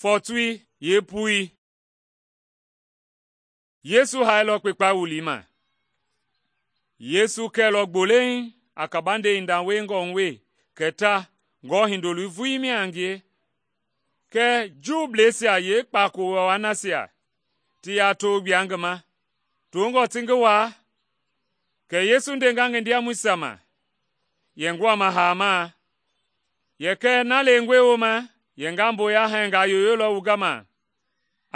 Fɔtui yeepui. Yesu hailɔ kpekpa wulii ma. Yesu kɛlɔ gbolei a kabande hinda wiengɔ hu we kɛ ta ngɔɔ Hindoloi vulii mia a ngie, kɛɛ Juubleisia yeekpaako waa nasia ti yaa to gbua ngi ma tongɔ ti ngi waa. Kɛ Yesu ndenga ngi ndiamɔisia ma yɛ nguama haamaa, yɛ kɛɛ na lengɔe wooma yɛ nga mboya hɛngaa yoyolɔ wu gama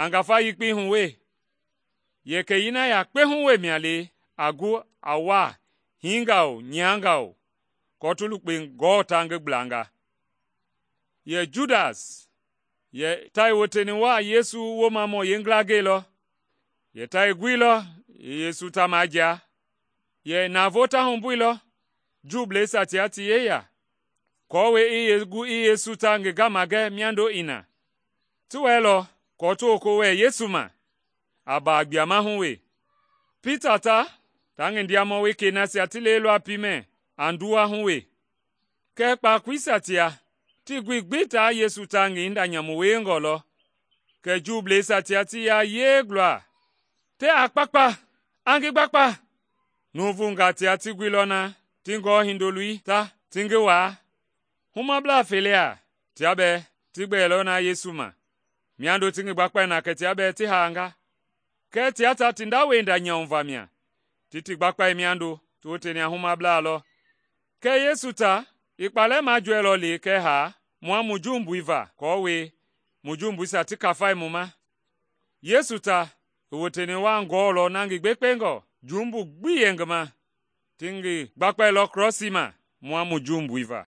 a ngafa yekpei hu we, yɛ kɛyii na yakpe hu we mia le a gu a waa hiingaa o nyiangaa o, kɔɔ ti lukpe ngɔɔ ta ngi gblanga. Yɛ Judas yɛ ta i woteni waa Yesu woomamɔ yeengila gɛilɔ, yɛ ta i guilɔ i Yesu ta majia, yɛ navoo ta humbuilɔ Juubleisia tia ti yeya, aako i gu i Yesu ta ngi gama gɛ miando i na. Ti wɛilɔ kɔɔ ti woko wɛɛ Yesu ma a baa gbuama hu we. Pita ta ngi ndiamɔ wekei nasia ti leilɔ a piimɛ a nduwa hu we. Kɛɛ kpakoleisia tia tii gui gbi taa Yesu ta ngi hinda nyamu wiengɔ lɔ. Kɛ Juubleisia tia ti ya yeeglɔa, te a kpakpa, a ngi gbakpa. Nuuvungaa tia ti guilɔ na ti ngɔɔ Hindoloi ta ti ngi waa. Humablaa felea tia bɛɛ ti gbɛɛlɔ na Yesu ma, miando ti ngi gbakpae na kɛ tia bɛɛ ti haanga. Kɛɛ tia ta ti ndaweinda nyauva mia, ti gbakpae miando ti woteni a humablaa lɔ. Kɛɛ Yesu ta i kpalɛ majoɛlɔ le kɛ haa mua mu jumbui va aako mu jumbuisia ti kafai mu ma. Yesu ta i woteni waa ngɔɔlɔ na ngi gbekpengɔ, jumbu gbi yɛ ngi ma, ti ngi gbakpailɔ krɔsii ma mua mu jumbui va.